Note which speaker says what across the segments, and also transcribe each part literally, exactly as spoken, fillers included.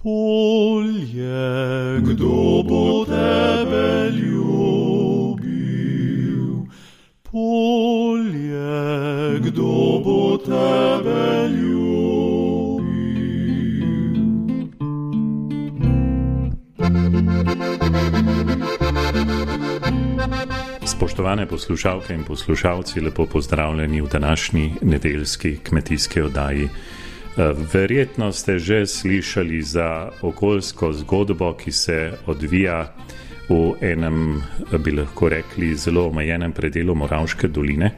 Speaker 1: Polje, kdo bo tebe ljubil? Polje, kdo bo tebe ljubil?
Speaker 2: Spoštovane poslušalke in poslušalci, lepo pozdravljeni v današnji nedeljski kmetijski oddaji. Verjetno ste že slišali za okoljsko zgodbo, ki se odvija v enem, bi lahko rekli, zelo omejenem predelu Moravške doline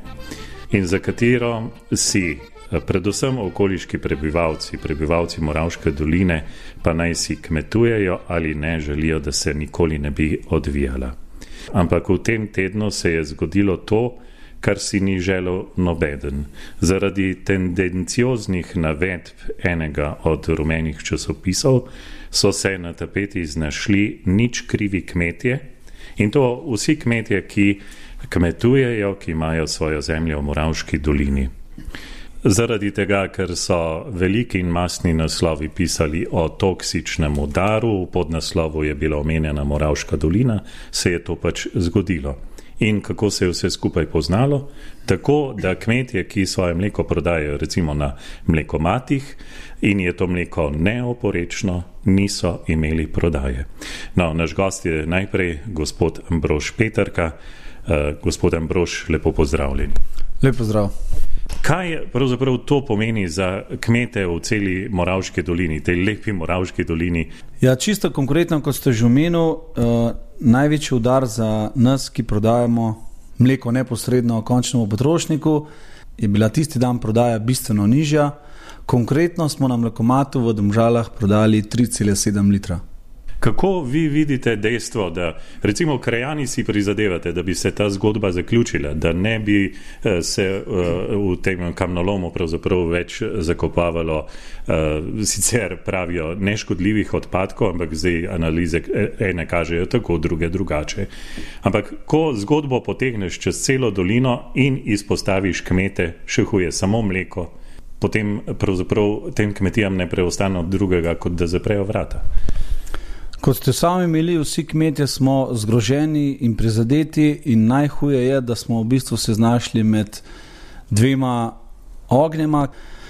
Speaker 2: in za katero si predvsem okoliški prebivalci, prebivalci Moravške doline, pa naj si kmetujejo ali ne, želijo, da se nikoli ne bi odvijala. Ampak v tem tednu se je zgodilo to, kar si ni želel nobeden. Zaradi tendencioznih navedb enega od rumenih časopisov so se na tapeti znašli nič krivi kmetje, in to vsi kmetje, ki kmetujejo, ki imajo svojo zemljo v Moravški dolini. Zaradi tega, ker so veliki in masni naslovi pisali o toksičnem udaru, v podnaslovu je bila omenjena Moravška dolina, se je to pač zgodilo. In kako se je vse skupaj poznalo? Tako, da kmetje, ki svoje mleko prodajajo recimo na mlekomatih in je to mleko neoporečno, niso imeli prodaje. No, naš gost je najprej gospod Ambrož Peterka. Uh, gospod Ambrož, lepo pozdravljeni.
Speaker 3: Lep pozdrav.
Speaker 2: Kaj pravzaprav to pomeni za kmete v celi Moravški dolini, tej lepi Moravški dolini?
Speaker 3: Ja, čisto konkretno, kot ste že omenil, uh, največji udar za nas, ki prodajamo mleko neposredno končnemu potrošniku, je bila tisti dan prodaja bistveno nižja. Konkretno smo na mlekomatu v Domžalah prodali tri cele sedem litra.
Speaker 2: Kako vi vidite dejstvo, da recimo krajani si prizadevate, da bi se ta zgodba zaključila, da ne bi se v tem kamnolomu pravzaprav več zakopavalo, sicer pravijo neškodljivih odpadkov, ampak zdaj analize ene kažejo tako, druge drugače. Ampak ko zgodbo potegneš čez celo dolino in izpostaviš kmete, še huje, samo mleko, potem pravzaprav tem kmetijam ne preostane od drugega, kot da zaprejo vrata.
Speaker 3: Kot ste sami imeli, vsi kmetje smo zgroženi in prizadeti in najhuje je, da smo v bistvu se znašli med dvema ognjema.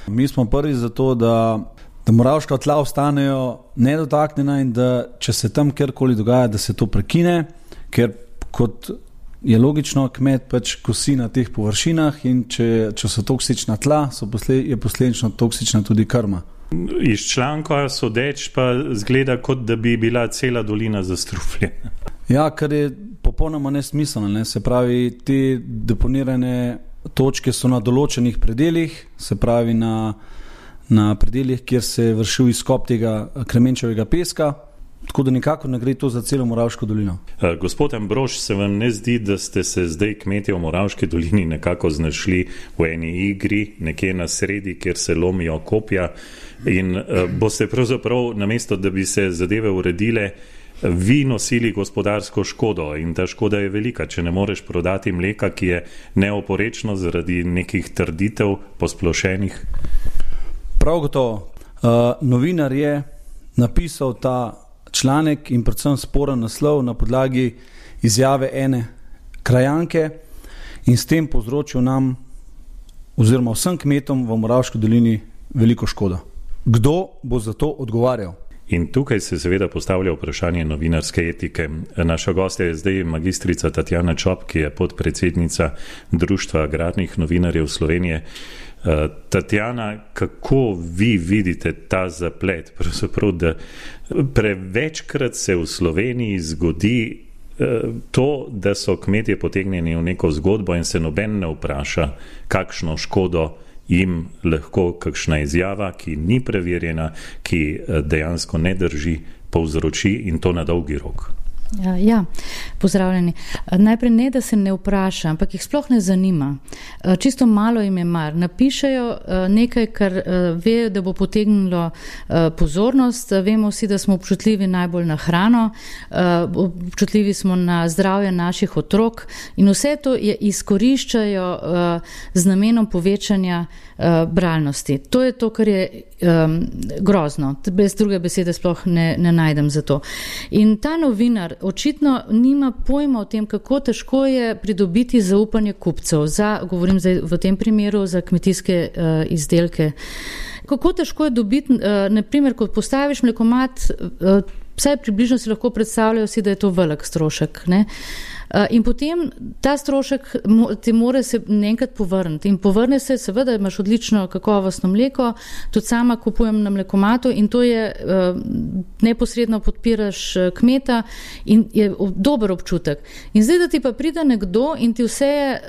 Speaker 3: Mi smo prvi za to, da, da moravška tla ostanejo nedotaknjena in da če se tam kjerkoli dogaja, da se to prekine, ker kot je logično, kmet pač kosi na teh površinah in če, če so toksična tla, so posled, je posledično toksična tudi krma.
Speaker 2: Iz članka sodeč pa zgleda, kot da bi bila cela dolina zastrupljena.
Speaker 3: Ja, kar je popolnoma nesmiselno, ne? Se pravi, te deponirane točke so na določenih predeljih, se pravi na, na predeljih, kjer se je vršil izkop tega kremenčevega peska, tako da nikakor ne gre to za celo Moravško dolino.
Speaker 2: Gospod Ambrož, se vam ne zdi, da ste se zdaj kmetje v Moravški dolini nekako znašli v eni igri, nekje na sredi, kjer se lomijo kopja in uh, boste pravzaprav, namesto da bi se zadeve uredile, vi nosili gospodarsko škodo in ta škoda je velika, če ne moreš prodati mleka, ki je neoporečno zaradi nekih trditev posplošenih?
Speaker 3: Prav gotovo. Uh, novinar je napisal ta članek in predvsem sporen naslov na podlagi izjave ene krajanke in s tem povzročil nam oziroma vsem kmetom v Moravški dolini veliko škodo. Kdo bo za to odgovarjal?
Speaker 2: In tukaj se seveda postavlja vprašanje novinarske etike. Naša gostja je zdaj magistrica Tatjana Čop, ki je podpredsednica Društva agrarnih novinarjev Slovenije. Tatjana, kako vi vidite ta zaplet? Pravzaprav, da prevečkrat se v Sloveniji zgodi to, da so kmetje potegnjeni v neko zgodbo in se noben ne vpraša, kakšno škodo jim lahko kakšna izjava, ki ni preverjena, ki dejansko ne drži, povzroči in to na dolgi rok.
Speaker 4: Ja, pozdravljeni. Najprej ne, da se ne vpraša, ampak jih sploh ne zanima. Čisto malo jim je mar. Napišejo nekaj, kar ve, da bo potegnilo pozornost. Vemo vsi, da smo občutljivi najbolj na hrano, občutljivi smo na zdravje naših otrok in vse to je izkoriščajo z namenom povečanja bralnosti. To je to, kar je um, grozno. Brez druge besede sploh ne, ne najdem za to. In ta novinar očitno nima pojma o tem, kako težko je pridobiti zaupanje kupcev, za, govorim zdaj v tem primeru za kmetijske uh, izdelke. Kako težko je dobiti, uh, naprimer, ko postaviš mlekomat, uh, vsaj približno si lahko predstavljajo si, da je to velik strošek, ne? In potem ta strošek ti mora se enkrat povrniti in povrne se, seveda imaš odlično kakovostno mleko, tudi sama kupujem na mlekomatu in to je, neposredno podpiraš kmeta in je dober občutek. In zdaj, da ti pa pride nekdo in ti vse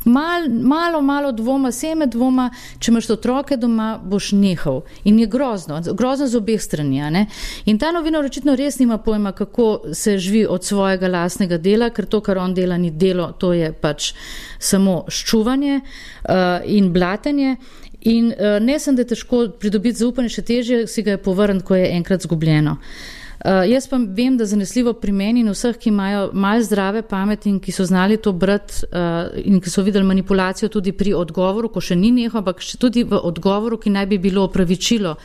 Speaker 4: mal, malo, malo dvoma, seme dvoma, če imaš otroke doma, boš nehal. In je grozno, grozno z obeh strani, ne? In ta novinar očitno res nima pojma, kako se živi od svojega lastnega dela, ker to, kar on dela, ni delo, to je pač samo ščuvanje uh, in blatenje. In uh, ne sem, da je težko pridobiti zaupanje, še težje si ga je povrniti, ko je enkrat zgubljeno. Uh, jaz pa vem, da zanesljivo pri meni in vseh, ki imajo malo zdrave pameti in ki so znali to brati uh, in ki so videli manipulacijo tudi pri odgovoru, ko še ni neho, ampak še tudi v odgovoru, ki naj bi bilo opravičilo,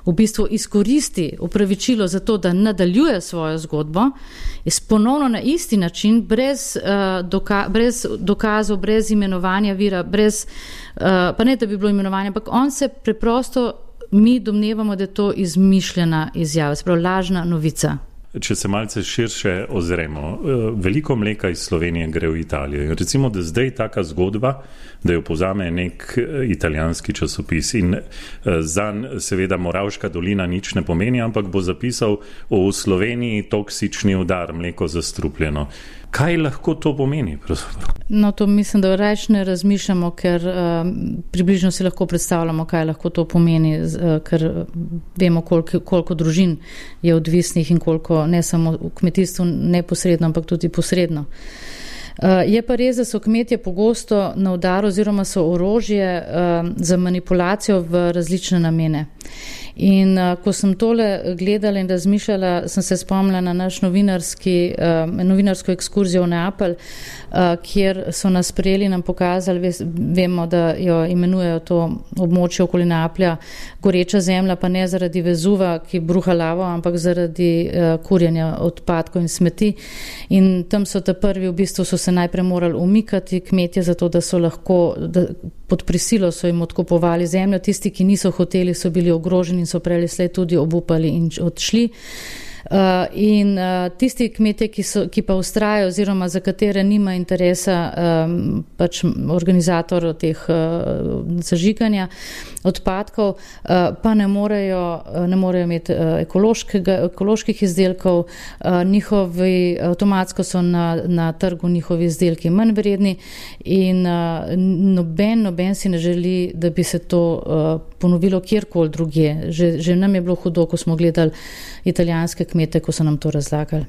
Speaker 4: v bistvu izkoristi opravičilo za to, da nadaljuje svojo zgodbo, je ponovno na isti način, brez, uh, doka- brez dokazov, brez imenovanja vira, brez, uh, pa ne, da bi bilo imenovanje, ampak on se preprosto, mi domnevamo, da je to izmišljena izjava, se pravi lažna novica.
Speaker 2: Če se malce širše ozremo, veliko mleka iz Slovenije gre v Italijo. Recimo, da zdaj taka zgodba, da jo povzame nek italijanski časopis in zanj seveda Moravška dolina nič ne pomeni, ampak bo zapisal v Sloveniji toksični udar, mleko zastrupljeno. Kaj lahko to pomeni?
Speaker 4: No, to mislim, da reč ne razmišljamo, ker uh, približno si lahko predstavljamo, kaj lahko to pomeni, uh, ker vemo, koliko, koliko družin je odvisnih in koliko ne samo v kmetijstvu neposredno, ampak tudi posredno. Uh, je pa res, da so kmetje pogosto na udaru oziroma so orožje uh, za manipulacijo v različne namene. In uh, ko sem tole gledala in razmišljala, sem se spomnila na naš novinarski, uh, novinarsko ekskurzijo v Neapelj, uh, kjer so nas sprejeli, nam pokazali, vemo, da jo imenujejo to območje okoli Neaplja goreča zemlja, pa ne zaradi Vezuva, ki bruha lavo, ampak zaradi uh, kurjenja odpadkov in smeti. In tam so ta prvi, v bistvu so se najprej morali umikati kmetje, zato da so lahko, da pod prisilo so jim odkupovali zemljo, tisti, ki niso hoteli, so bili ogroženi in so prejeli slej tudi obupali in odšli. Uh, in uh, tisti kmetje, ki, so, ki pa ustrajajo oziroma za katere nima interesa um, pač organizator teh uh, zažiganja odpadkov, uh, pa ne morejo, ne morejo imeti uh, ekoloških izdelkov, uh, njihovi avtomatsko so na, na trgu njihovi izdelki manj vredni in uh, noben, noben si ne želi, da bi se to uh, ponovilo kjerkoli drugje. Že, že nam je bilo hudo, ko smo gledali italijanske kmete, ko so nam to razlagali.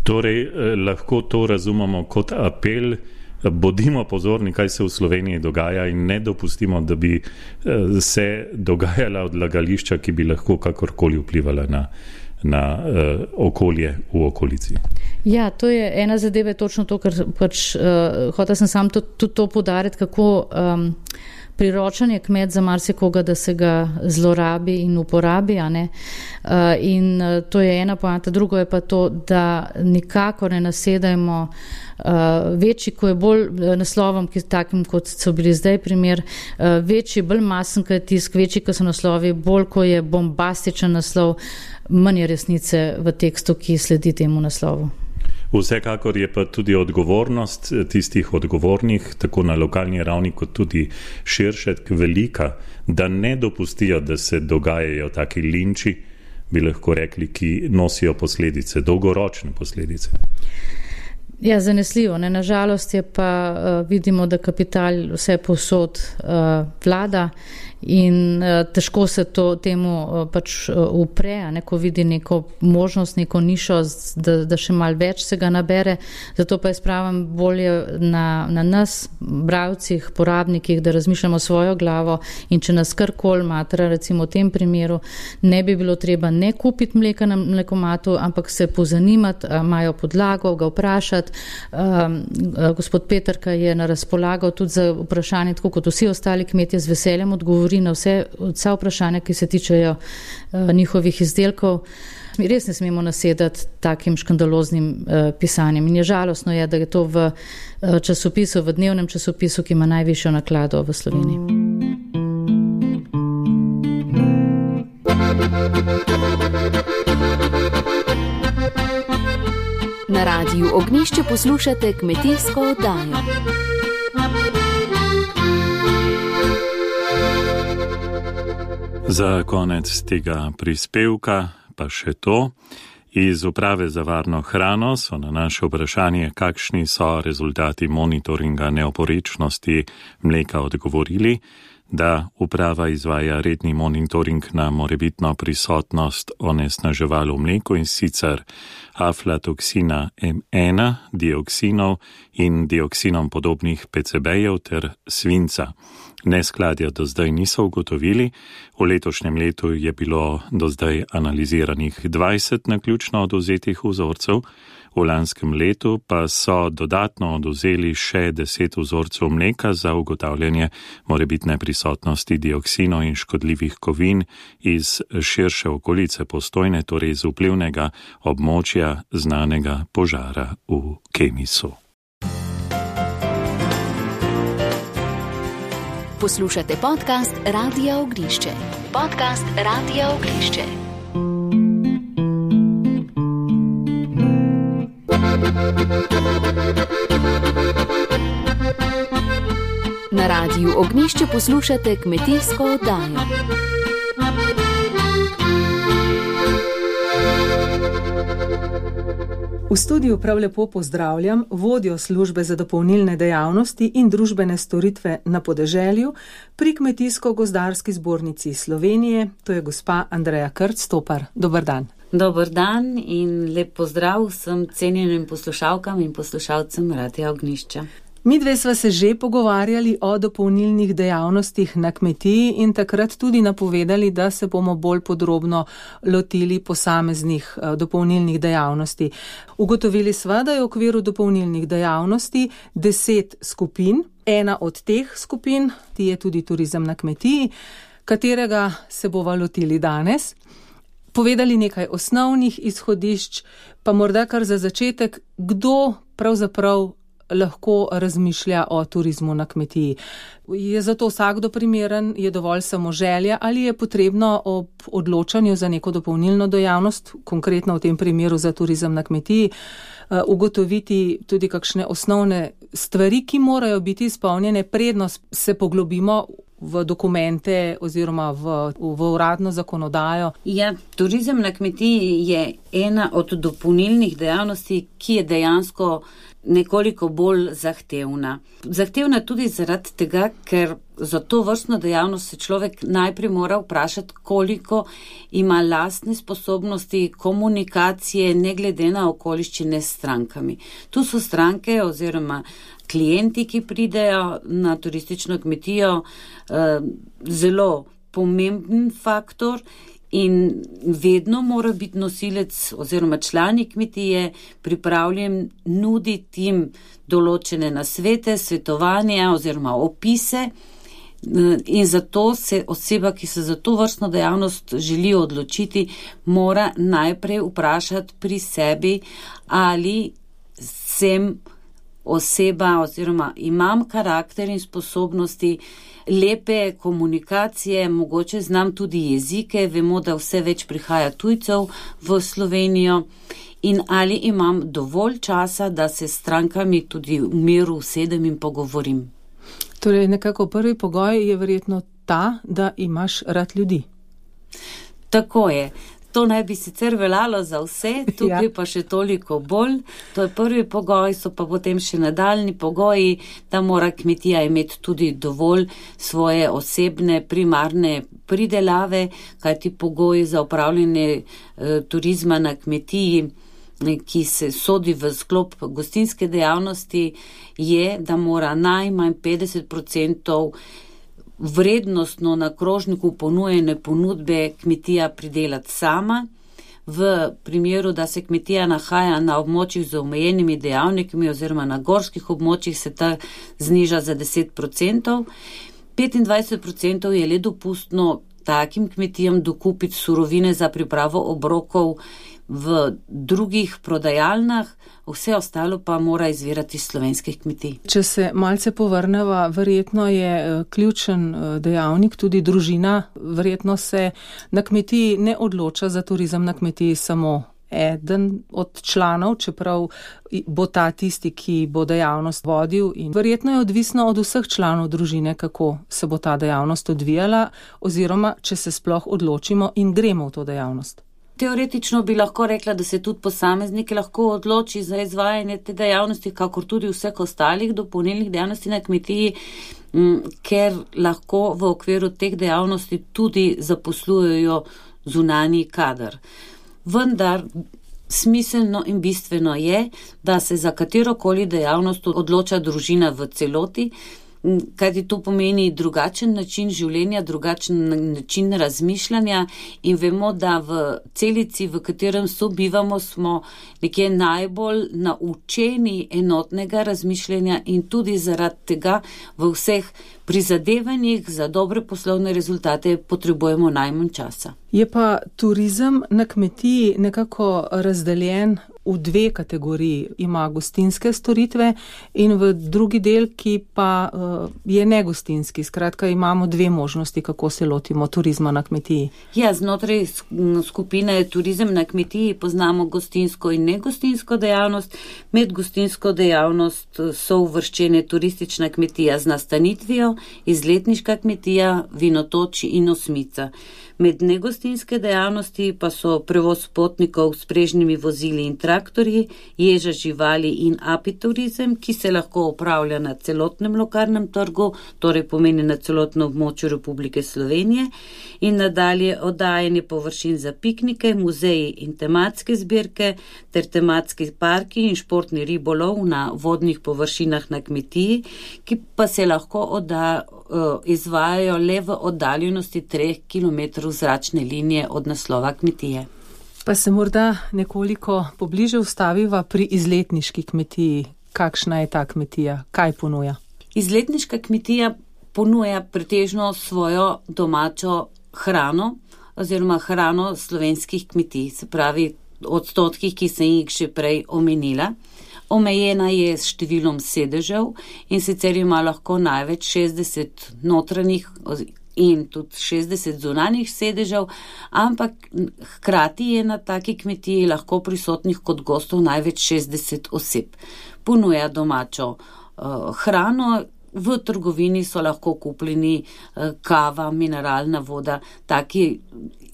Speaker 2: Torej, eh, lahko to razumemo kot apel, bodimo pozorni, kaj se v Sloveniji dogaja in ne dopustimo, da bi eh, se dogajala odlagališča, ki bi lahko kakorkoli vplivala na, na eh, okolje v okolici.
Speaker 4: Ja, to je ena zadeva, je točno to, kar pač uh, hotel sem sam tudi to, to podariti, kako um, priročen je kmet za marsikoga, da se ga zlorabi in uporabi, a ne? Uh, in uh, to je ena poanta. Drugo je pa to, da nikakor ne nasedajmo uh, večji, ko je bolj naslovom, ki takim, kot so bili zdaj primer, uh, večji, bolj masen, ko je tisk, večji, ko so naslovi, bolj, ko je bombastičen naslov, manj je resnice v tekstu, ki sledi temu naslovu.
Speaker 2: Vsekakor je pa tudi odgovornost tistih odgovornih, tako na lokalni ravni, kot tudi širše, velika, da ne dopustijo, da se dogajajo taki linči, bi lahko rekli, ki nosijo posledice, dolgoročne posledice.
Speaker 4: Ja, zanesljivo. Ne? Nažalost je pa uh, vidimo, da kapital vse povsod uh, vlada in uh, težko se to temu uh, pač uh, upre, ne? Ko vidi neko možnost, neko nišo, da, da še malo več se ga nabere. Zato pa je spravim bolje na, na nas, bralcih, porabnikih, da razmišljamo svojo glavo in če nas karkoli matra, recimo v tem primeru, ne bi bilo treba ne kupiti mleka na mlekomatu, ampak se pozanimati, imajo podlago, ga vprašati. Um, gospod Peterka je na razpolago tudi za vprašanje, tako kot vsi ostali kmetje, z veseljem odgovori na vse, vsa vprašanja, ki se tičejo uh, njihovih izdelkov. Mi res ne smemo nasedati takim škandaloznim uh, pisanjem in je žalostno je, da je to v uh, časopisu, v dnevnem časopisu, ki ima najvišjo naklado v Sloveniji.
Speaker 5: Na Radiu Ognjišče poslušate kmetijsko oddajo.
Speaker 2: Za konec tega prispevka pa še to. Iz Uprave za varno hrano so na naše vprašanje, kakšni so rezultati monitoringa neoporečnosti mleka, odgovorili, da uprava izvaja redni monitoring na morebitno prisotnost onesnaževal v mleku, in sicer aflatoksina em ena, dioksinov in dioksinom podobnih pe ce bejev ter svinca. Neskladja do zdaj niso ugotovili. V letošnjem letu je bilo do zdaj analiziranih dvajset naključno odvzetih vzorcev, v lanskem letu pa so dodatno odvzeli še deset vzorcev mleka za ugotavljanje morebitne prisotnosti dioksinov in škodljivih kovin iz širše okolice Postojne, torej iz vplivnega območja znanega požara v Kemisu.
Speaker 5: Poslušate podcast Radia Ognjišče. Podcast Radia Ognjišče. Na Radiu Ognjišče poslušate kmetijsko oddajo.
Speaker 6: V studiu prav lepo pozdravljam vodjo službe za dopolnilne dejavnosti in družbene storitve na podeželju pri Kmetijsko-gozdarski zbornici Slovenije, to je gospa Andreja Krc-Topar. Dobar dan.
Speaker 7: Dobar dan in lep pozdrav vsem cenjenim poslušalkam in poslušalcem Radia Ognjišča.
Speaker 6: Mi dve sva se že pogovarjali o dopolnilnih dejavnostih na kmetiji in takrat tudi napovedali, da se bomo bolj podrobno lotili posameznih dopolnilnih dejavnosti. Ugotovili sva, da je v okviru dopolnilnih dejavnosti deset skupin. Ena od teh skupin je tudi turizem na kmetiji, katerega se bova lotili danes. Povedali nekaj osnovnih izhodišč, pa morda kar za začetek, kdo pravzaprav lahko razmišlja o turizmu na kmetiji. Je zato vsakdo primeren, je dovolj samo želja ali je potrebno ob odločanju za neko dopolnilno dejavnost, konkretno v tem primeru za turizem na kmetiji, ugotoviti tudi kakšne osnovne stvari, ki morajo biti izpolnjene, predno se poglobimo v dokumente oziroma v, v uradno zakonodajo.
Speaker 7: Ja, turizem na kmetiji je ena od dopolnilnih dejavnosti, ki je dejansko nekoliko bolj zahtevna. Zahtevna tudi zaradi tega, ker za to vrstno dejavnost se človek najprej mora vprašati, koliko ima lastne sposobnosti komunikacije, ne glede na okoliščine s strankami. Tu so stranke oziroma klienti, ki pridejo na turistično kmetijo, zelo pomemben faktor in vedno mora biti nosilec oziroma člani kmetije pripravljen nuditi jim določene nasvete, svetovanja oziroma opise. In zato se oseba, ki se za to vrstno dejavnost želi odločiti, mora najprej vprašati pri sebi, ali sem oseba oziroma imam karakter in sposobnosti lepe komunikacije, mogoče znam tudi jezike, vemo, da vse več prihaja tujcev v Slovenijo, in ali imam dovolj časa, da se s strankami tudi v miru usedem in pogovorim.
Speaker 6: Torej, nekako prvi pogoj je verjetno ta, da imaš rad ljudi.
Speaker 7: Tako je. To naj bi sicer veljalo za vse, tukaj ja. Pa še toliko bolj. To je prvi pogoj, so pa potem še nadaljni pogoji, da mora kmetija imeti tudi dovolj svoje osebne primarne pridelave, kajti pogoji za upravljanje e, turizma na kmetiji, ki se sodi v sklop gostinske dejavnosti, je, da mora najmanj petdeset procentov vrednostno na krožniku ponujene ponudbe kmetija pridelati sama. V primeru, da se kmetija nahaja na območjih z omejenimi dejavnikami oziroma na gorskih območjih, se ta zniža za deset procentov. petindvajset procentov je le dopustno takim kmetijam dokupiti surovine za pripravo obrokov v drugih prodajalnah, vse ostalo pa mora izvirati iz slovenskih kmetij.
Speaker 6: Če se malce povrneva, verjetno je ključen dejavnik tudi družina. Verjetno se na kmetiji ne odloča za turizem na kmetiji samo eden od članov, čeprav bo ta tisti, ki bo dejavnost vodil, in verjetno je odvisno od vseh članov družine, kako se bo ta dejavnost odvijala, oziroma če se sploh odločimo in gremo v to dejavnost.
Speaker 7: Teoretično bi lahko rekla, da se tudi posameznik lahko odloči za izvajanje te dejavnosti, kakor tudi vseh ostalih dopolnilnih dejavnosti na kmetiji, ker lahko v okviru teh dejavnosti tudi zaposlujejo zunanji kader. Vendar smiselno in bistveno je, da se za katerokoli dejavnost odloča družina v celoti, kajti to pomeni drugačen način življenja, drugačen način razmišljanja in vemo, da v celici, v katerem sobivamo, smo nekje najbolj naučeni enotnega razmišljanja in tudi zaradi tega v vseh prizadevanjih za dobre poslovne rezultate potrebujemo najmanj časa.
Speaker 6: Je pa turizem na kmetiji nekako razdeljen v dve kategoriji. Ima gostinske storitve in v drugi del, ki pa uh, je negostinski. Skratka, imamo dve možnosti, kako se lotimo turizma na kmetiji.
Speaker 7: Ja, znotraj skupine turizem na kmetiji poznamo gostinsko in negostinsko dejavnost. Med gostinsko dejavnost so uvrščene turistična kmetija z nastanitvijo, izletniška kmetija, vinotoči in osmica. Med negostinske dejavnosti pa so prevoz potnikov s prežnimi vozili in traktorji, ježa živali in apiturizem, ki se lahko opravlja na celotnem lokalnem trgu, torej pomeni na celotnem območju Republike Slovenije, in nadalje oddajanje površin za piknike, muzeji in tematske zbirke ter tematski parki in športni ribolov na vodnih površinah na kmetiji, ki pa se lahko odda, izvajajo le v oddaljenosti treh kilometrov zračne linije od naslova kmetije.
Speaker 6: Pa se morda nekoliko pobliže ustaviva pri izletniški kmetiji. Kakšna je ta kmetija? Kaj ponuja?
Speaker 7: Izletniška kmetija ponuja pretežno svojo domačo hrano oziroma hrano slovenskih kmetij, se pravi odstotkih, ki sem jih že prej omenila. Omejena je s številom sedežev in sicer ima lahko največ šestdeset notranjih in tudi šestdeset zunanjih sedežev, ampak hkrati je na taki kmetiji lahko prisotnih kot gostov največ šestdeset oseb. Ponuja domačo uh, hrano, v trgovini so lahko kupljeni uh, kava, mineralna voda, taki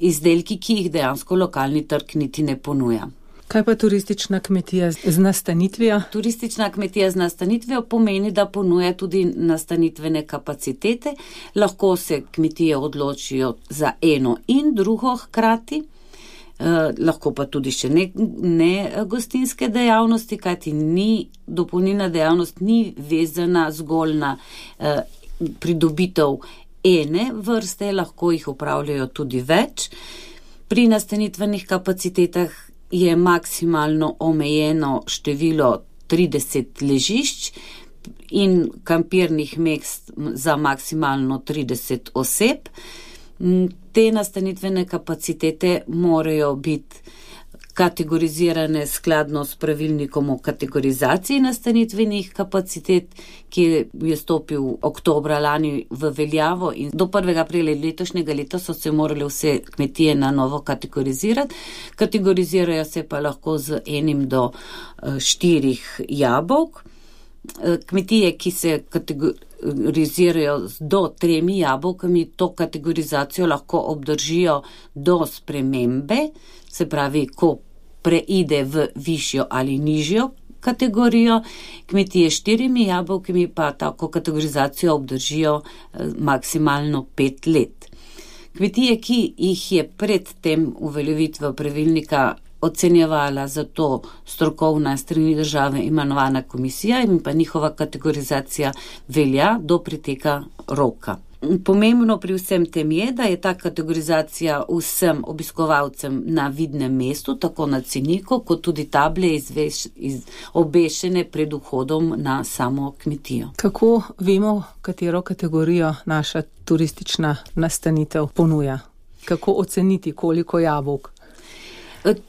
Speaker 7: izdelki, ki jih dejansko lokalni trg niti ne ponuja.
Speaker 6: Kaj pa turistična kmetija z nastanitvijo?
Speaker 7: Turistična kmetija z nastanitvijo pomeni, da ponuja tudi nastanitvene kapacitete. Lahko se kmetije odločijo za eno in drugo hkrati, eh, lahko pa tudi še ne, ne gostinske dejavnosti, kajti ni, dopolnilna dejavnost ni vezana zgolj na eh, pridobitev ene vrste, lahko jih upravljajo tudi več. Pri nastanitvenih kapacitetah je maksimalno omejeno število trideset ležišč in kampirnih mest za maksimalno trideset oseb. Te nastanitvene kapacitete morajo biti kategorizirane skladno s pravilnikom o kategorizaciji nastanitvenih kapacitet, ki je stopil oktobra lani v veljavo in do prvega aprila letošnjega leta so se morale vse kmetije na novo kategorizirati. Kategorizirajo se pa lahko z enim do štirih jabolk. Kmetije, ki se kategorizirajo do tremi jabolkami, to kategorizacijo lahko obdržijo do spremembe, se pravi, ko preide v višjo ali nižjo kategorijo, kmetije s štirimi jabolkami pa tako kategorizacijo obdržijo maksimalno pet let. Kmetije, ki jih je pred tem uveljavitvijo pravilnika ocenjevala za to strokovna strani države imenovana komisija in pa njihova kategorizacija velja do preteka roka. Pomembno pri vsem tem je, da je ta kategorizacija vsem obiskovalcem na vidnem mestu, tako na ceniku, kot tudi table izveš, iz, obešene pred vhodom na samo kmetijo.
Speaker 6: Kako vemo, katero kategorijo naša turistična nastanitev ponuja? Kako oceniti, koliko jabolk?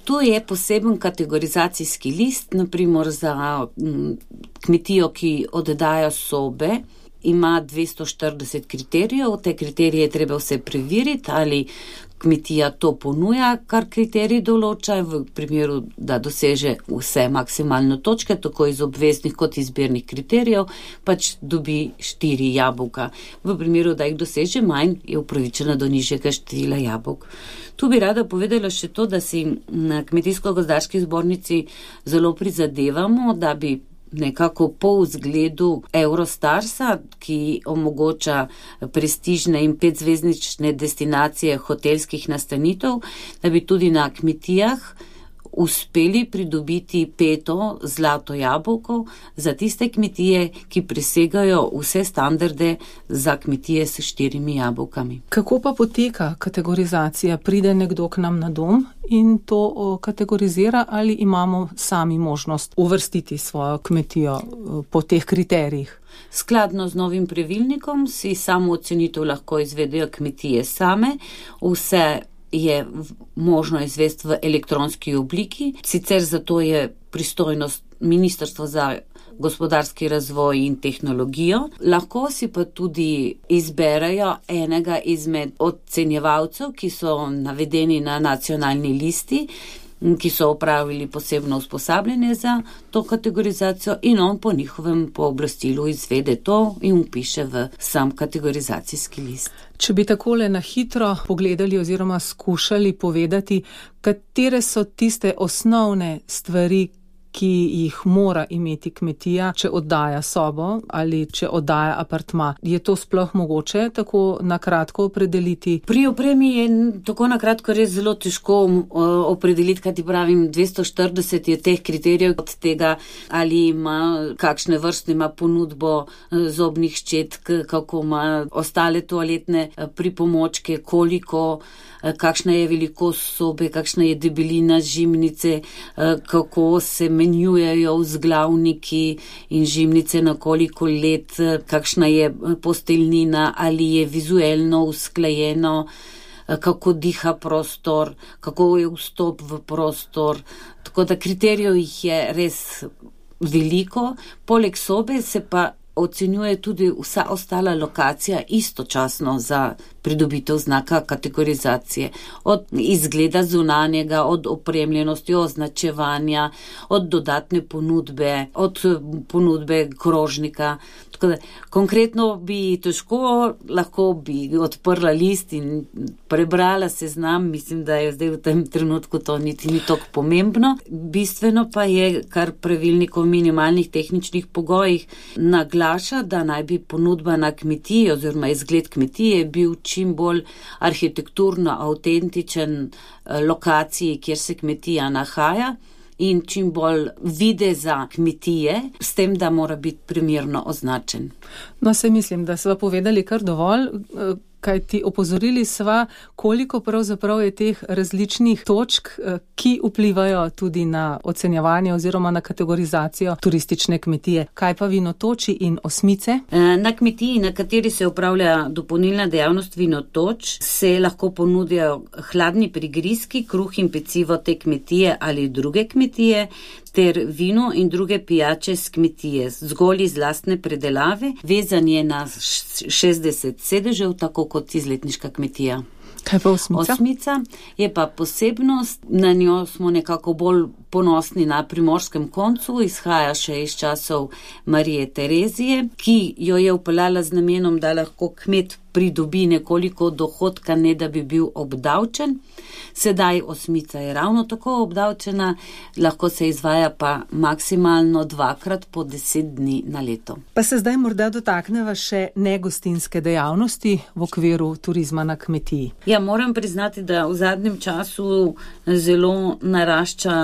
Speaker 7: Tu je poseben kategorizacijski list, naprimer za kmetijo, ki oddaja sobe, ima dvesto štirideset kriterijev, te kriterije je treba vse preveriti, ali kmetija to ponuja, kar kriterij določa, v primeru, da doseže vse maksimalno točke, tako iz obveznih kot izbirnih kriterijev, pač dobi štiri jabolka. V primeru, da jih doseže manj, je upravičena do nižjega števila jabolk. Tu bi rada povedala še to, da si na Kmetijsko-gozdarski zbornici zelo prizadevamo, da bi nekako po vzgledu Eurostarsa, ki omogoča prestižne in petzvezdične destinacije hotelskih nastanitev, da bi tudi na kmetijah uspeli pridobiti peto zlato jabolko za tiste kmetije, ki presegajo vse standarde za kmetije s štirimi jabolkami.
Speaker 6: Kako pa poteka kategorizacija? Pride nekdo k nam na dom in to kategorizira ali imamo sami možnost uvrstiti svojo kmetijo po teh kriterijih?
Speaker 7: Skladno z novim pravilnikom si samo ocenitev lahko izvedejo kmetije same, vse je možno izvesti v elektronski obliki. Sicer zato je pristojnost Ministrstva za gospodarski razvoj in tehnologijo. Lahko si pa tudi izberejo enega izmed ocenjevalcev, ki so navedeni na nacionalni listi, ki so opravili posebno usposabljanje za to kategorizacijo in on po njihovem pooblastilu izvede to in upiše v sam kategorizacijski list.
Speaker 6: Če bi takole na hitro pogledali oziroma skušali povedati, katere so tiste osnovne stvari, ki jih mora imeti kmetija, če oddaja sobo ali če oddaja apartma. Je to sploh mogoče tako na kratko opredeliti?
Speaker 7: Pri opremi je tako na kratko res zelo težko opredeliti, kaj ti pravim, dvesto štirideset je teh kriterijev od tega, ali ima kakšne vrste, ima ponudbo zobnih ščetk, kako ima ostale toaletne pripomočke, koliko, kakšna je velikost sobe, kakšna je debelina žimnice, kako se menjujejo vzglavniki in žimnice na koliko let, kakšna je posteljnina, ali je vizuelno usklajeno, kako diha prostor, kako je vstop v prostor. Tako da kriterijev jih je res veliko. Poleg sobe se pa ocenjuje tudi vsa ostala lokacija istočasno za pridobitev znaka kategorizacije. Od izgleda zunanjega, od opremljenosti, označevanja, od dodatne ponudbe, od ponudbe krožnika. Tako da konkretno bi težko, lahko bi odprla list in prebrala seznam, mislim, da je zdaj v tem trenutku to niti ni toliko pomembno. Bistveno pa je, kar pravilnik o minimalnih tehničnih pogojih naglaša, da naj bi ponudba na kmetiji oziroma izgled kmetije bil čim bolj arhitekturno avtentičen lokaciji, kjer se kmetija nahaja, in čim bolj videza kmetije, s tem, da mora biti primerno označen.
Speaker 6: No, se mislim, da sva povedali kar dovolj, kaj ti opozorili sva, koliko pravzaprav je teh različnih točk, ki vplivajo tudi na ocenjevanje oziroma na kategorizacijo turistične kmetije. Kaj pa vinotoči in osmice?
Speaker 7: Na kmetiji, na kateri se upravlja dopolnilna dejavnost vinotoč, se lahko ponudijo hladni prigrizki, kruh in pecivo te kmetije ali druge kmetije, ter vino in druge pijače z kmetije, zgolj iz lastne predelave, vezan je na šestdeset sedežev, tako kot izletniška kmetija.
Speaker 6: Kaj pa osmica?
Speaker 7: Osmica je pa posebnost, na njo smo nekako bolj ponosni na primorskem koncu, izhaja še iz časov Marije Terezije, ki jo je vpeljala z namenom, da lahko kmet pridobi nekoliko dohodka, ne da bi bil obdavčen. Sedaj osmica je ravno tako obdavčena, lahko se izvaja pa maksimalno dvakrat po deset dni na leto.
Speaker 6: Pa se zdaj morda dotakneva še negostinske dejavnosti v okviru turizma na kmetiji.
Speaker 7: Ja, moram priznati, da v zadnjem času zelo narašča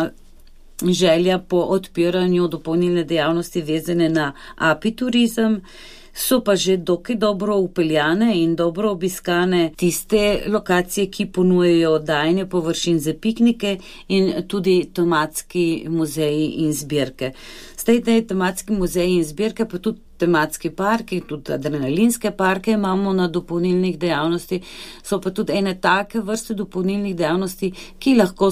Speaker 7: želja po odpiranju dopolnilne dejavnosti vezane na apiturizem. So pa že dokaj dobro upeljane in dobro obiskane tiste lokacije, ki ponujejo oddajanje površin za piknike in tudi tematski muzeji in zbirke. Zdaj, te tematski muzeji in zbirke, pa tudi tematski parki, tudi adrenalinske parke imamo na dopolnilnih dejavnosti, so pa tudi ene take vrste dopolnilnih dejavnosti, ki lahko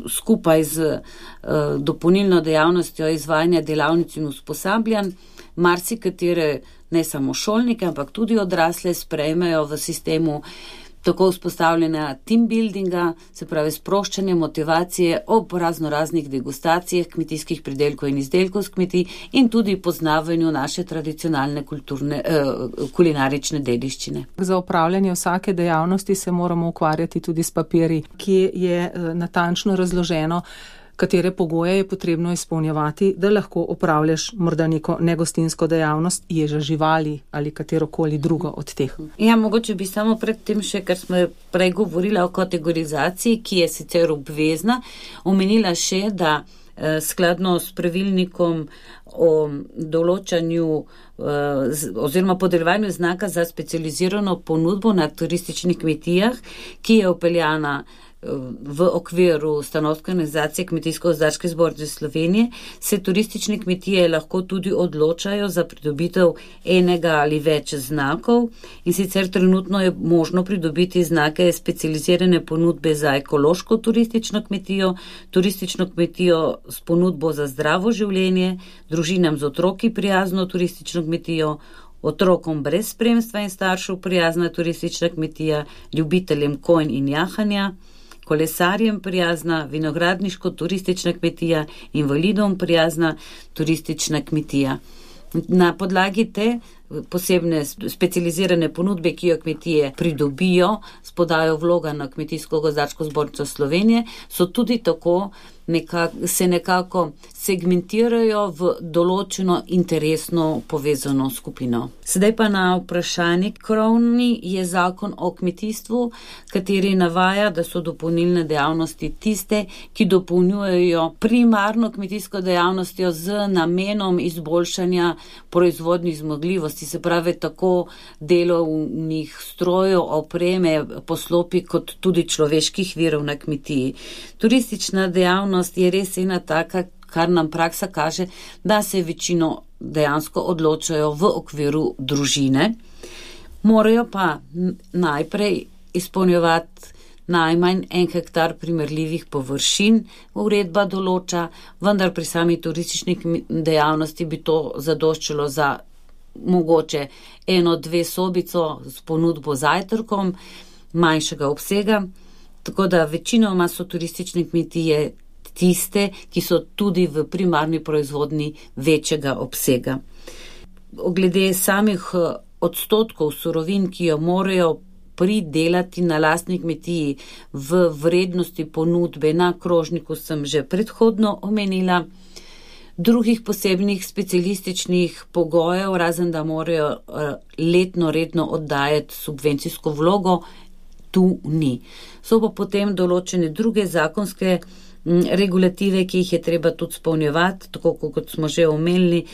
Speaker 7: skupaj z uh, dopolnilno dejavnostjo izvajanja delavnic in usposabljanj marsikatere, ne samo šolnike, ampak tudi odrasle sprejmejo v sistemu tako vzpostavljena team buildinga, se pravi sproščanje motivacije ob razno raznih degustacijah kmetijskih pridelkov in izdelkov z kmetij in tudi poznavanju naše tradicionalne kulturne, eh, kulinarične dediščine.
Speaker 6: Za upravljanje vsake dejavnosti se moramo ukvarjati tudi s papirji, ki je eh, natančno razloženo, katere pogoje je potrebno izpolnjevati, da lahko opravljaš morda neko negostinsko dejavnost, ježa živali ali katerokoli drugo od teh.
Speaker 7: Ja, mogoče bi samo pred tem še, ker smo prej govorila o kategorizaciji, ki je sicer obvezna, omenila še, da eh, skladno s pravilnikom o določanju eh, oziroma podeljevanju znaka za specializirano ponudbo na turističnih kmetijah, ki je vpeljana v okviru stanovske organizacije Kmetijsko-gozdarske zbornice Slovenije, se turistične kmetije lahko tudi odločajo za pridobitev enega ali več znakov in sicer trenutno je možno pridobiti znake specializirane ponudbe za ekološko turistično kmetijo, turistično kmetijo s ponudbo za zdravo življenje, družinam z otroki prijazno turistično kmetijo, otrokom brez spremstva in staršev prijazna turistična kmetija, ljubiteljem konj in jahanja, kolesarjem prijazna vinogradniško-turistična kmetija, invalidom prijazna turistična kmetija. Na podlagi te posebne specializirane ponudbe, ki jo kmetije pridobijo, spodajo vloga na Kmetijsko-gozdarsko zbornico Slovenije, so tudi tako nekak, se nekako segmentirajo v določeno interesno povezano skupino. Sedaj pa na vprašanje krovni je zakon o kmetijstvu, kateri navaja, da so dopolnilne dejavnosti tiste, ki dopolnjujejo primarno kmetijsko dejavnostjo z namenom izboljšanja proizvodnih zmogljivosti, se pravi tako delovnih strojev, opreme, poslopi kot tudi človeških virov na kmetiji. Turistična dejavnost je res ena taka, kar nam praksa kaže, da se večino dejansko odločajo v okviru družine. Morajo pa najprej izpolnjevati najmanj en hektar primerljivih površin, uredba določa, vendar pri sami turistični dejavnosti bi to zadoščalo za mogoče eno, dve sobico s ponudbo zajtrkom manjšega obsega, tako da večinoma so turistične kmetije tiste, ki so tudi v primarni proizvodni večjega obsega. Glede samih odstotkov surovin, ki jo morajo pridelati na lastni kmetiji v vrednosti ponudbe na krožniku, sem že predhodno omenila. Drugih posebnih specialističnih pogojev, razen da morajo letno redno oddajati subvencijsko vlogo, tu ni. So pa potem določene druge zakonske regulative, ki jih je treba tudi spolnjevati, tako kot smo že omenili.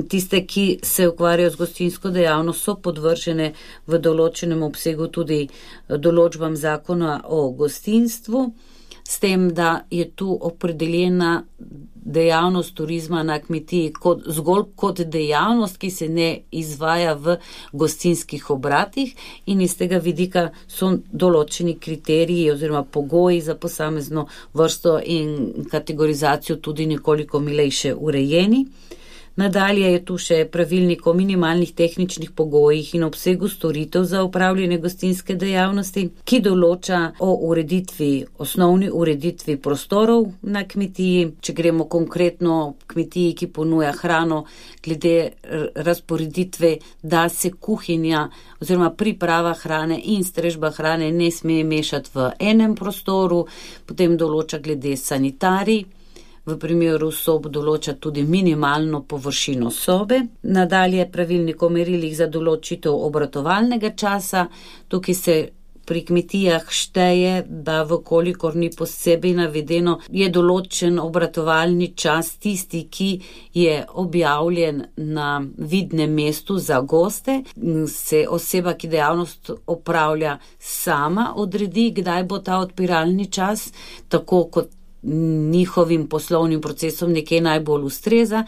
Speaker 7: Tiste, ki se ukvarjajo z gostinsko dejavnost, so podvržene v določenem obsegu tudi določbam zakona o gostinstvu, s tem, da je tu opredeljena dejavnost turizma na kmetiji kot, zgolj kot dejavnost, ki se ne izvaja v gostinskih obratih in iz tega vidika so določeni kriteriji oziroma pogoji za posamezno vrsto in kategorizacijo tudi nekoliko milejše urejeni. Nadalje je tu še pravilnik o minimalnih tehničnih pogojih in obsegu storitev za upravljanje gostinske dejavnosti, ki določa o ureditvi, osnovni ureditvi prostorov na kmetiji. Če gremo konkretno kmetiji, ki ponuja hrano, glede razporeditve, da se kuhinja oziroma priprava hrane in strežba hrane ne sme mešati v enem prostoru, potem določa glede sanitarij. V primeru sob določa tudi minimalno površino sobe. Nadalje pravilnik o merilih za določitev obratovalnega časa. Tukaj se pri kmetijah šteje, da vkolikor ni posebej navedeno, je določen obratovalni čas tisti, ki je objavljen na vidnem mestu za goste. Se oseba, ki dejavnost opravlja, sama odredi, kdaj bo ta odpiralni čas, tako kot njihovim poslovnim procesom nekaj najbolj ustreza,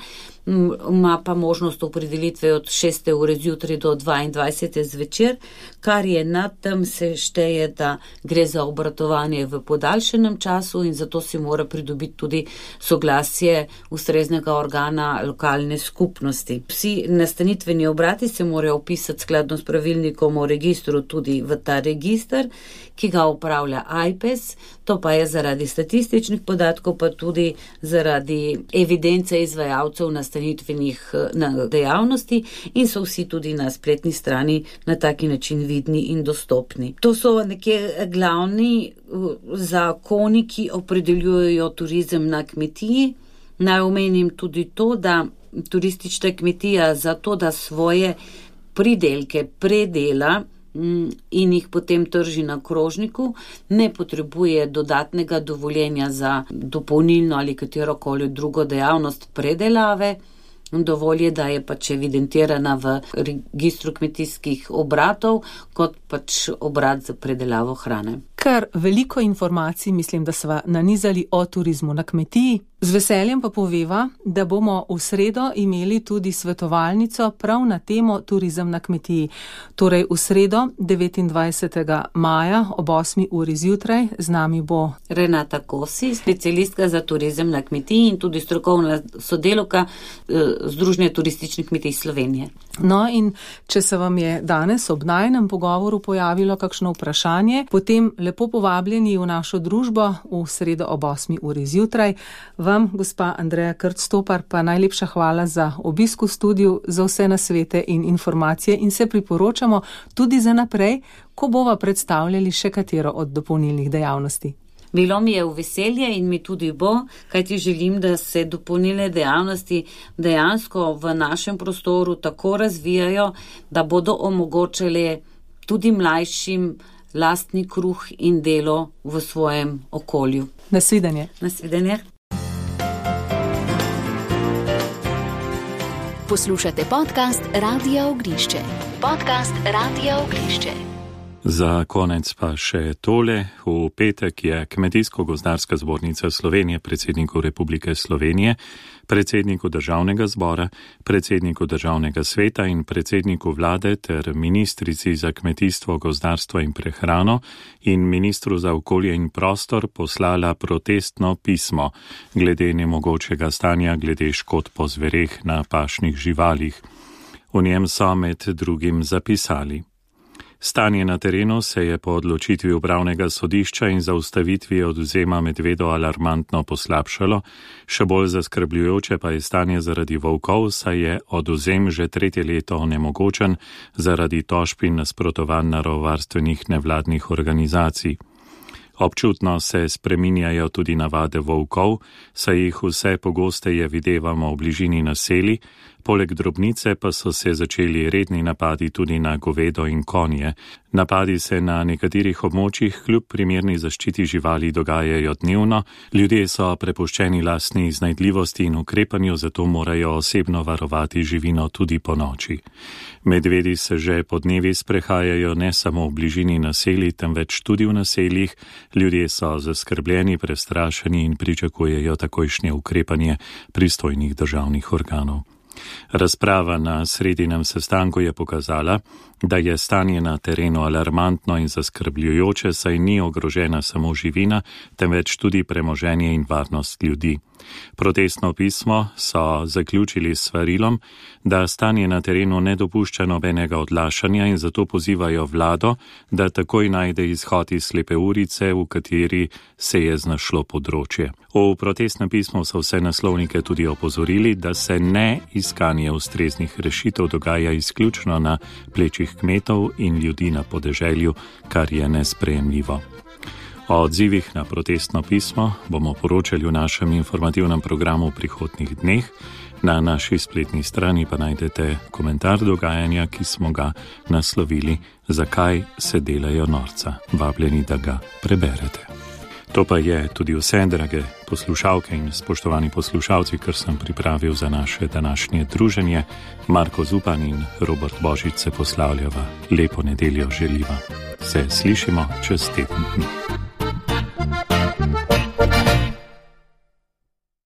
Speaker 7: ima pa možnost opredelitve od šeste ure zjutraj do dvaindvajsete zvečer, kar je nad tem se šteje, da gre za obratovanje v podaljšenem času in zato se mora pridobiti tudi soglasje ustreznega organa lokalne skupnosti. Vsi nastanitveni obrati se morajo vpisati skladno s pravilnikom o registru tudi v ta register, ki ga upravlja Ajpes, to pa je zaradi statističnih podatkov, pa tudi zaradi evidence izvajalcev nastanitvenih dejavnosti in so vsi tudi na spletni strani na taki način vidni in dostopni. To so nekje glavni zakoni, ki opredeljujejo turizem na kmetiji. Naj omenim tudi to, da turistična kmetija za to, da svoje pridelke predela in jih potem trži na krožniku, ne potrebuje dodatnega dovoljenja za dopolnilno ali katerokoli drugo dejavnost predelave. Dovolj je, da je pač evidentirana v registru kmetijskih obratov kot pač obrat za predelavo hrane.
Speaker 6: Kar veliko informacij mislim, da sva nanizali o turizmu na kmetiji. Z veseljem pa poveva, da bomo v sredo imeli tudi svetovalnico prav na temo turizem na kmetiji. Torej v sredo devetindvajsetega maja ob osmi uri zjutraj z nami bo
Speaker 7: Renata Kosi, specialistka za turizem na kmetiji in tudi strokovna sodelavka Združenja turističnih kmetij Slovenije.
Speaker 6: No in če se vam je danes ob najinem pogovoru pojavilo kakšno vprašanje, potem lepo povabljeni v našo družbo v sredo ob osmi uri zjutraj. Vam, gospa Andreja Krc-Stopar, pa najlepša hvala za obisk v studiu, za vse nasvete in informacije in se priporočamo tudi za naprej, ko bova predstavljali še katero od dopolnilnih dejavnosti.
Speaker 7: Bilo mi je v veselje in mi tudi bo, kajti želim, da se dopolnilne dejavnosti dejansko v našem prostoru tako razvijajo, da bodo omogočale tudi mlajšim lastni kruh in delo v svojem okolju.
Speaker 6: Nasvidenje.
Speaker 7: Nasvidenje.
Speaker 5: Poslušate podcast Radia Ognišče. Podcast Radia Ognišče.
Speaker 2: Za konec pa še tole. V petek je Kmetijsko-gozdarska zbornica Slovenije predsedniku Republike Slovenije, predsedniku Državnega zbora, predsedniku Državnega sveta in predsedniku vlade ter ministrici za kmetijstvo, gozdarstvo in prehrano in ministru za okolje in prostor poslala protestno pismo glede nemogočega stanja glede škod po zvereh na pašnih živalih. V njem so med drugim zapisali: Stanje na terenu se je po odločitvi upravnega sodišča in zaustavitvi odvzema medvedov alarmantno poslabšalo, še bolj zaskrbljujoče pa je stanje zaradi volkov, saj je odvzem že tretje leto onemogočen zaradi tožb in nasprotovanj naravovarstvenih nevladnih organizacij. Občutno se spreminjajo tudi navade volkov, saj jih vse pogosteje videvamo v bližini naselij, poleg drobnice pa so se začeli redni napadi tudi na govedo in konje. Napadi se na nekaterih območjih kljub primerni zaščiti živali dogajajo dnevno, ljudje so prepuščeni lastni iznajdljivosti in ukrepanju, zato morajo osebno varovati živino tudi po noči. Medvedi se že po dnevi sprehajajo ne samo v bližini naselij, temveč tudi v naseljih. Ljudje so zaskrbljeni, prestrašeni in pričakujejo takojšnje ukrepanje pristojnih državnih organov. Razprava na sredinem sestanku je pokazala, da je stanje na terenu alarmantno in zaskrbljujoče, saj ni ogrožena samo živina, temveč tudi premoženje in varnost ljudi. Protestno pismo so zaključili s svarilom, da stanje na terenu ne dopušča nobenega odlašanja in zato pozivajo vlado, da takoj najde izhod iz slepe ulice, v kateri se je znašlo področje. V protestnem pismu so vse naslovnike tudi opozorili, da se ne iskanje ustreznih rešitev dogaja izključno na plečih kmetov in ljudi na podeželju, kar je nesprejemljivo. O odzivih na protestno pismo bomo poročali v našem informativnem programu v prihodnjih dneh. Na naši spletni strani pa najdete komentar dogajanja, ki smo ga naslovili Zakaj se delajo norca. Vabljeni, da ga preberete. To pa je tudi vse, drage poslušalke in spoštovani poslušalci, kar sem pripravil za naše današnje druženje. Marko Zupan in Robert Božič se poslavljava. Lepo nedeljo želiva. Se slišimo čez teden dni.